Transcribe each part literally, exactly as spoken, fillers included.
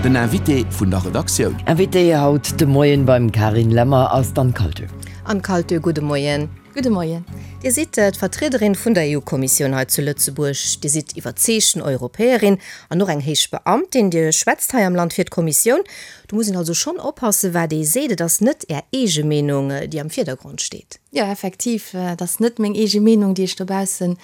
Den Invité vun der Redaktioun. Invité haut de Moien beim Carine Lemmer ass d'Anne Kaltö. Anne Kaltö, gudde Moien. Gudde Moien. Dir sidd d'Vertriederin vun der EU-Kommissioun hei zu Lëtzebuerg. Dir sidd iwwerzeegten Europäerin an och eng héich Beamtin. Dir schwätzt hei am Land fir d'Kommissioun. Do muss een also schonn oppassen, wat ee seet. Et ass net Är eege Meenung, déi am Virdergrond steet. Jo, effektiv, et ass net meng eege Meenung, déi ech dobaussen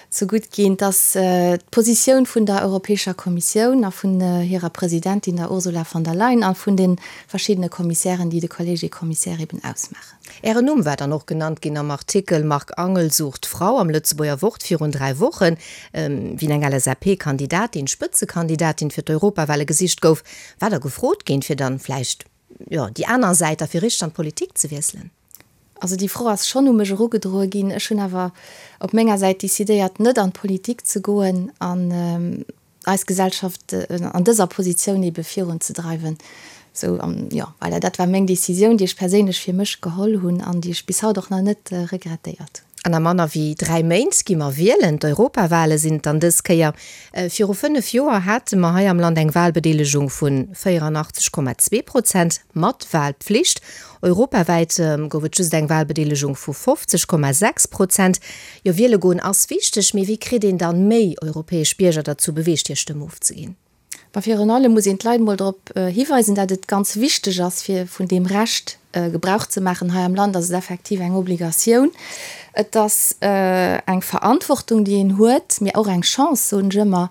zegutt ginn. Et ass d'Positioun vun der Europäescher Kommissioun a vun hirer Presidentin, der Ursula von der Leyen, a vun de verschiddene Kommissären, déi de Collège des Commissaires eben ausmaachen. Ären Numm war dann och genannt ginn am Artikel Marc Angel sucht Frau am Lëtzebuerger Wort virun dräi Wochen, wéi eng LSAP-Kandidatin, Spëtzekandidatin fir d'Europawale gesicht gouf. War Der gefrot ginn, fir dann vläicht, jo, déi aner Säit a fir richteg an d'Politik ze wiesselen? Also déi Fro ass schonn u mech erugedroe ginn. Ech hunn awer op menger Säit decidéiert, net an d'Politik ze goen an eis Gesellschaft an dëser Positioun ebe virunzedreiwen. Sou, an jo, voilà, dat war meng Decisioun, déi ech perséinlech fir mech geholl hunn an déi ech bis haut och nach net regrettéiert hunn. An a manner wéi dräi Méint gi mer wielen. D'Europawale sinn et dann dës Kéier. Viru fënnef Joer hate mer hei am Land eng Walbedeelegung vu véierannachtzeg Komma zwee Prozent mat Walpflicht. Europawäit gouf et just eng Walbedeelegung vu fofzeg Komma sechs Prozent. Jo, wiele goen ass wichteg, mee wéi kritt een dann méi europäesch Bierger derzou beweegt, hir Stëmm ofzeginn? Ma virun allem muss een d'Leit emol drop hiweisen, dat et ganz wichteg ass, fir vun deem Recht Gebrauch ze maachen. Hei am Land ass et effektiv eng Obligatioun. Et ass eng Verantwortung, déi een huet, mee och eng Chance, soen ech ëmmer,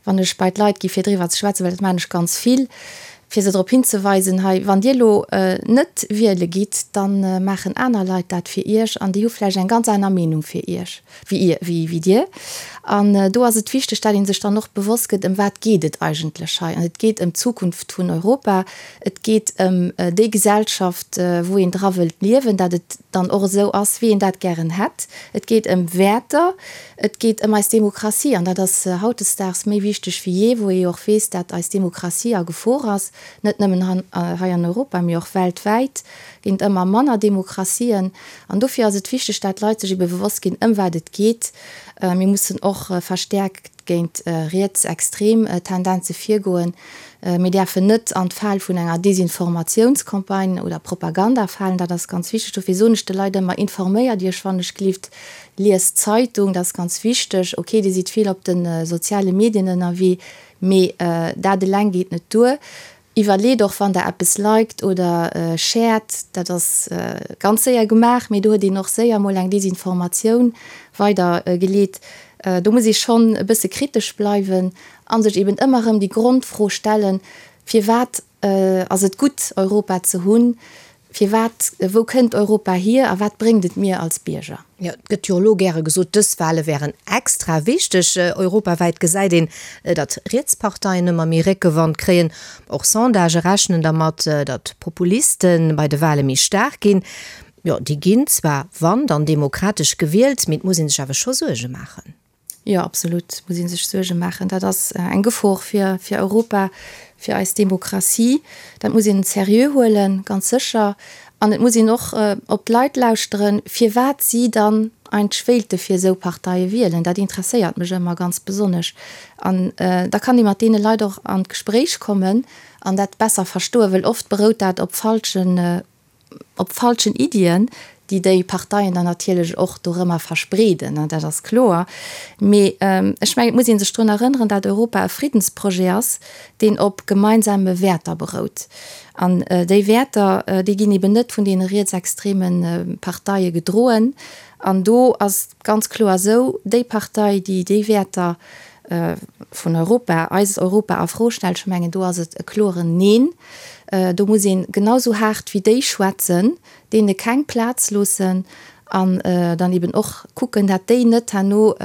wann ech bei d'Leit gi fir driwwer ze schwätzen, well dat maachen ech ganz vill, fir se drop hinzeweisen, hei, wann Dir elo net wiele gitt, da maachen aner Leit dat fir Iech an déi hu vläicht eng ganz aner Meenung fir Iech wéi wéi Dir. An do ass et wichteg, dat ee sech dann och bewosst gëtt, ëm wat geet et eigentlech hei. An et geet ëm d'Zukunft vun Europa, et geet ëm déi Gesellschaft, wou een dra wëllt liewen, dat et dann och esou ass, wéi een dat gären hätt. Et geet ëm Wäerter, et geet ëm eis Demokratie. An dat ass hautdesdaags méi wichteg wéi jee, wou ee jo och weess, dat eis Demokratie a Gefor ass, net nëmmen hei an Europa, mee och weltwäit ginn et ëmmer manner Demokratien. An dofir ass et wichteg, dat d'Leit sech ebe bewosst ginn, ëm wat et geet. Mir mussen och verstäerkt géint rietsextrem Tendenze virgoen. Mir däerfen net an d'Fal vun enger Desinformatiounscampagne oder Propaganda falen. Dat ass ganz wichteg. Dofir soen ech de Leit ëmmer, Informéiert Iech wann ech gelift, liest d'Zeitung, dat ass ganz wichteg. Ok, Dir sidd vill op de soziale Medien ënnerwee, mee dat eleng geet net duer. Iwwerleet och, wann Der eppes liked oder shared, dat ass ganz séier gemaach, mee do huet een och séier mol eng Desinformatioun weider geleet. Do muss ee schonn e bësse kritesch bleiwen a sech eben ëmmer erëm déi Grondfro stellen, Firwat ass et gutt, Europa ze hunn? Firwat, wou kënnt Europa hier a wat bréngt et mir als Bierger? Jo, et gëtt jo elo gäre gesot, dës Wale wären extra wichteg. Europawäit gesäit een, datt Rietsparteien ëmmer méi Réckewand kréien. Och Sondagë rechnen dermat, datt d'Populiste bei de Wale méi staark ginn. Jo, déi ginn zwar, wann dann demokratesch gewielt, mee et muss ee sech awer scho Suerge maachen. Jo, absolut muss ee sech Suerge maachen. Dat ass eng Gefor fir fir Europa, fir eis Demokratie. Dat muss een seriö huelen, ganz sécher. An et muss een och op d'Leit lauschteren, firwat si dann eigentlech wéilte fir esou Parteie wielen. Dat interesséiert mech ëmmer ganz besonnesch. An da kann ee mat deene Leit och an d'Gespréich kommen an dat besser verstoen, well oft berout dat op falschen op falschen Iddien, déi déi Parteien dann natierlech och dorëmmer verspreeden, dat ass kloer. Mee ech mengen, et muss ee sech drun erënneren, dat Europa e Friddensprojet ass, deen op gemeinsame Wäerter berout. An déi Wäerter, déi ginn eben net vun deene rietsextreme Parteie gedroen. An do ass et ganz kloer esou, déi Partei, déi déi Wäerter vun Europa, eist Europa a Fro stellt, ech mengen, do ass et e kloren Neen. Do muss ee genau sou haart wéi déi schwätzen, deene keng Plaz loossen an dann eben och kucken, dat déi net herno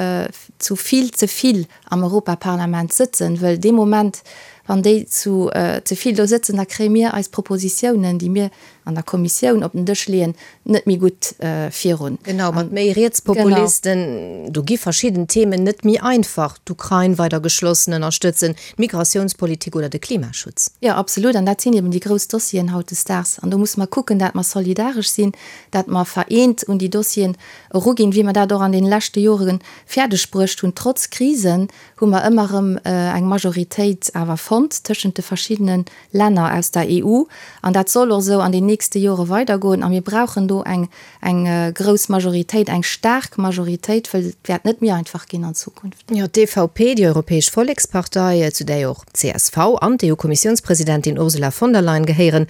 zu vill ze vill am Europaparlament sëtzen, wëll dee Moment, wann déi zu ze vill do sëtzen, da kréie mir eis Propositiounen, déi mir an der Kommissioun op den Dësch leeën, net méi gutt virun. Genau, mat méi Rietspopulisten, do gi verschidden Themen net méi einfach, d'Ukrain weider geschlossen ënnerstëtzen, d'Migratiounspolitik oder de Klimaschutz. Jo, absolut, an dat sinn eben déi grouss Dossieren hautdesdaags. An do musse mer kucken, dat mer solidaresch sinn, dat mer vereent un déi Dossieren eruginn, wéi mer dat och an deene leschte Jore fäerdeg bruecht hunn. Trotz Krisen hu mer ëmmer erëm eng Majoritéit awer fonnt. fonnt tëschent de verschiddene Länner aus der E U an dat soll och esou an den nächste Jore weidergoen a mir brauchen do eng eng grouss Majoritéit, eng staark Majoritéit, wëll et wäert net méi einfach ginn an Zukunft. Jo, d'E V P, déi Europäesch Vollekspartei, zu där jo och d'C S V an d'E U-Kommissiounspresidentin Ursula von der Leyen gehéieren,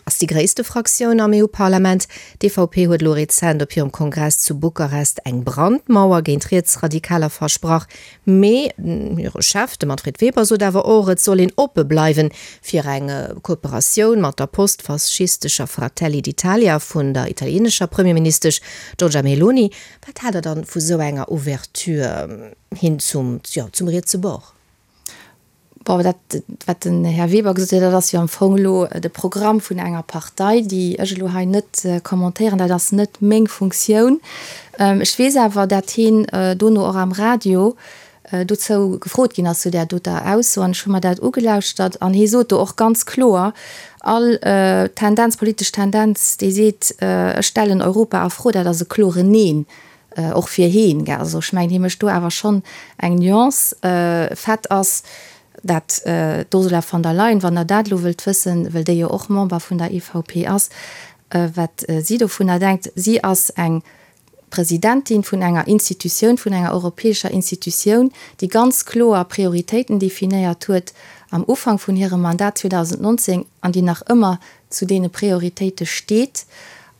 ass déi gréisste Fraktioun am E U-Parlament. D'E V P huet elo rezent op hirem Kongress zu Bukarest eng Brandmauer géint Rietsradikaler versprach. Mee hire Chef, de Manfred Weber, sot awer och, et soll een oppe bleiwen fir eng Kooperatioun mat der postfaschistescher Fratelli d'Italia vun der italienescher Premierministesch Giorgia Meloni. Wat haalt Der dann vu sou enger Ouverture hin zum, jo, zum rietse Bord? Bon, dat, wat den Här Weber gesot huet, dat ass jo am Fong elo de Programm vun enger Partei, déi ech elo hei net kommentéieren. Dat ass net meng Funktioun. Ech weess awer, dat hien dono och am Radio dozou gefrot ginn ass, zu där doter Ausso, an ech hu mer dat ugelauschtert an hie sot do och ganz kloer, All Tendenz, politesch Tendenz, déi seet, ech stellen Europa a Fro, dat ass e kloren Neen. Och fir hien, gell. Also ech mengen, hie mécht do awer schonn eng Nuance. Fait ass, dat d'Ursula von der Leyen, wann Der dat elo wëllt wëssen, wëll déi jo och Member vun der E V P ass, wat si dovunner denkt, si ass eng Presidentin vun enger Institutioun, vun enger europäescher Institutioun, déi ganz kloer Prioritéiten definéiert huet am Ufank vun hirem Mandat zweedausendnonzéng an déi nach ëmmer zu deene Prioritéite steet.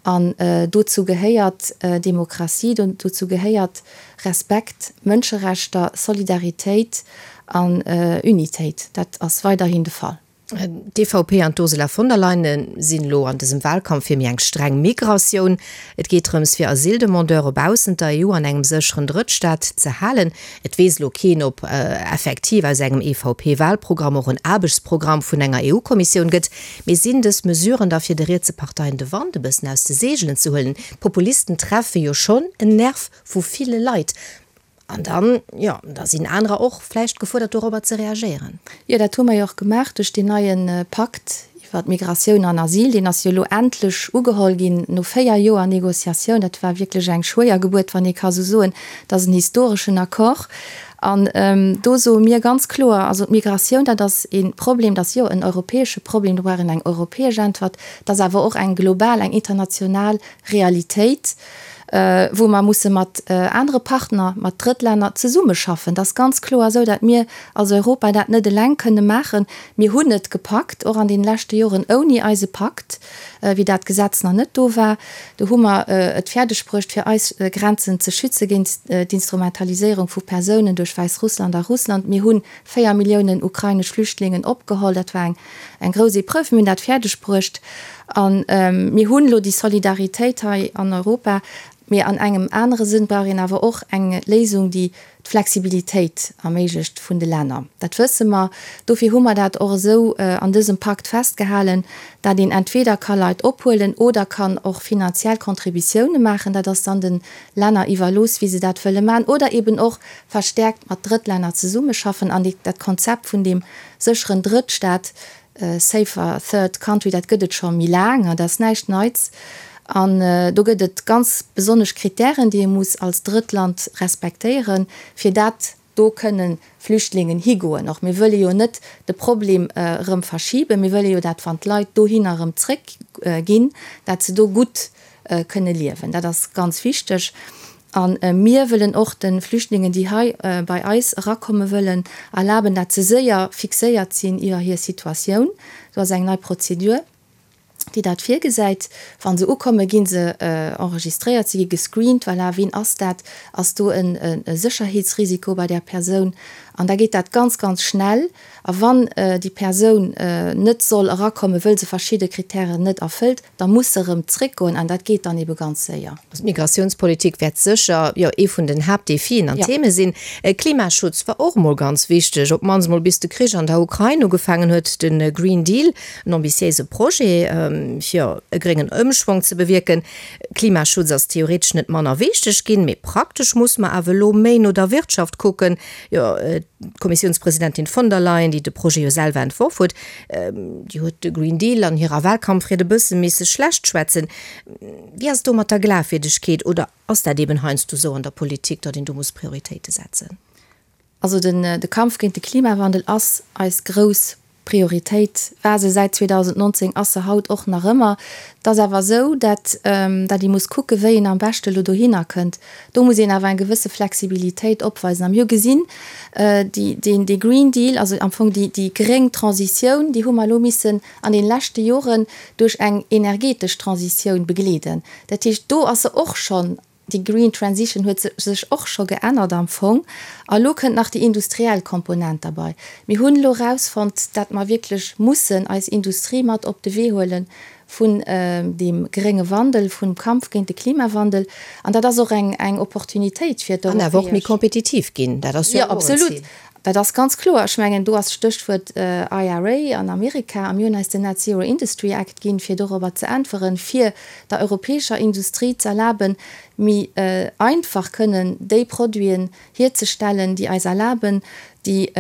An dozou gehéiert Demokratie, dozou gehéiert Respekt, Mënscherechter, Solidaritéit an Unitéit. Dat ass weiderhin de Fall. D'E V P an d'Ursula von der Leyen sinn elo an dësem Wahlkampf fir méi eng streng Migratioun. Et geet drëms fir Asyldemandeure baussent der E U an engem sécheren Drëttstaat ze halen. Et weess elo keen, ob effektiv aus engem E V P-Wahlprogramm och en Aarbechtsprogramm vun enger E U-Kommissioun gëtt. Mee sinn dës Mesuren da fir de rietse Parteien de Wand e bëssen aus de Seegelen ze huelen? D'Populisten treffe jo schonn en Nerv vu ville Leit. An dann, jo, da sinn anerer och vläicht gefuerdert dorobber ze reagéieren. Jo, dat hu mer jo och gemaach duerch deen neie Pakt iwwer Migratioun an Asyl. Deen ass jo elo endlech ugeholl ginn no véier Joer Négociatioun. Dat war wierklech eng schwéier Gebuert, wann ee ka sou soen. Dat ass en historeschen Accord. An do soe mir ganz kloer, also d'Migratioun, dat ass e Problem, dat ass jo en europäesche Problem, do brauch een eng europäesch Äntwert. Dat ass awer och eng global, eng international Realitéit, wou mer musse mat anere Partner, mat Drëttlänner zesummeschaffen. Dat ass ganz kloer esou, datt mir als Europa dat net eleng kënne maachen. Mir hunn et gepackt, och an deene leschte Joren ouni eise Pakt, wéi dat Gesetz nach net do war, do hu mer et fäerdegbruecht, fir eis Grenzen ze schütze géint d'Instrumentaliséierung vu Persounen duerch Wäissrussland a Russland. Mir hu véier Milliounen ukrainesch Flüchtlingen opgeholl. Dat war eng eng grouss Epreuve. Mir hunn dat fäerdegbruecht. A mir hunn elo déi Solidaritéit hei an Europa. Mee an engem anere Sënn brauch een awer och eng Léisung, déi d'Flexibilitéit erméiglecht vun de Länner. Dat wësse mer. Dofir hu mer dat och esou an dësem Pakt festgehalen, dat een entweder ka Leit ophuelen oder kann och finanziell Contributioune maachen. Dat ass dann de Länner iwwerlooss, wéi se dat wëlle maachen. Oder eben och verstäerkt mat Drëttlänner zesummeschaffen. An dat Konzept vun deem sécheren Drëttstaat, safer third country, dat gëtt et scho méi laang, dat ass näischt Neits. An do gëtt et ganz besonnesch Kritären, déi ee muss als Drëttland respektéieren, fir dat do kënnen Flüchtlingen higoen. Och mir wëlle jo net de Problem erëm verschiben, mir wëlle jo dat, wann d'Leit dohinner erëm zréckginn, dat se do gutt kënne liewen. Dat ass ganz wichteg. A mir wëllen och de Flüchtlingen, déi hei bei eis erakomme wëllen, erlaben, dat se séier fixéiert sinn iwwer hir Situatioun. Do ass eng nei Prozedur, déi dat virgesäit. Wa se ukommen, gi se enregistréiert, se gi gescreent, voilà, wien ass dat, ass do e Sécherheetsrisiko bei där Persoun? An da geet dat ganz, ganz schnell. A wann déi Persoun net soll erakommen, wëll se verschidde Kritären net erfëllt, da muss se erëm zréckgoen an dat geet dann ebe ganz séier. D'Migratiounspolitik wäert sécher, jo, ee vun den Haaptdefien an Theme sinn. Klimaschutz war och emol ganz wichteg, op d'mannst emol bis de Krich an der Ukrain ugefaangen huet. De Green Deal, en ambitiéise Projet, fir e gréngen Ëmschwong ze bewierken. Klimaschutz ass theoretesch net manner wichteg ginn, mee praktesch muss mer awer elo méi no der Wirtschaft kucken. Jo, d'Kommissiounspresidentin von der Leyen, déi de Projet jo selwer entworf huet, déi huet de Green Deal an hirer Wahlkampfried e bësse misse schlecht schwätzen. Wéi ass et do mat der Glafwierdegkeet oder ass dat eben heiansdo esou an der Politik, datt een do muss Prioritéite setzen? Also den de Kampf géint de Klimawandel ass eis grouss Prioritéit war se säit zweedausendnonzéng, ass se haut och nach ëmmer. Et ass awer esou, dat dat ee muss kucke wéi een am beschte elo dohinner kënnt. Do muss een awer eng gewësse Flexibilitéit opweisen. A mir hu gesinn, déi deen dee Green Deal, also am Fong déi déi gréng Transitioun, déi hu mer elo missen an deene leschte Joren duerch eng energetesch Transitioun begleeden. Dat heescht, do ass se och schonn Déi Green Transition huet sech och scho geännert am Fong. A lo kënnt nach déi industriell Komponent derbei. Mir hunn elo erausfonnt, dat mer wierklech mussen eis Industrie mat op de Wee huele vun deem grénge Wandel, vum Kampf géint de Klimawandel. An dat ass och eng, eng Opportunitéit fir An awer och méi kompetitiv ginn. Dat ass jo och en Zil. Jo, absolut. Dat ass ganz kloer. Ech mengen, do ass d'Stéchwuert I R A an Amerika. A mir hunn eis den Net Zero Industry Act ginn, fir dorobber ze äntweren, fir der europäescher Industrie z'erlaben, méi einfach kënnen déi Produiten hierzestellen, déi eis erlaben, déi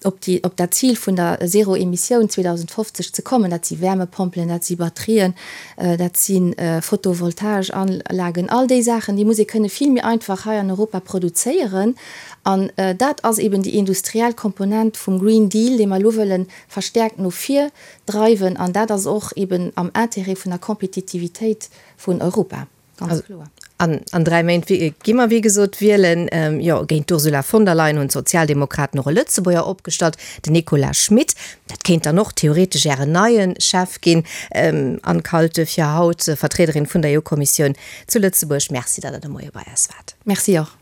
op déi, op dat Zil vun der Zéro-Emissioun zweedausendfofzeg ze kommen. Dat si Wärmepompelen, dat si Batterien, dat si Photovoltageanlagen, all déi Saachen, déi muss ee kënne vill méi einfach hei an Europa produzéieren. An dat ass eben déi industriell Komponent vum Green Deal, dee mer elo wëlle verstäerkt no vir dreiwen. An dat ass och eben am Intérêt vun der Kompetitivitéit vun Europa, ganz kloer. An an dräi Méint gi mer wéi gesot wielen. Jo, géint d'Ursula von der Leyen hunn d'Sozialdemokraten och e Lëtzebuerger opgestallt, den Nicolas Schmit. Dat kéint dann och theoretesch Ären neie Chef ginn. Anne Kalte, fir haut Vertriederin vun der E U-Kommissioun zu Lëtzebuerg, Merci, datt Der de Moie bei eis waart. Merci och.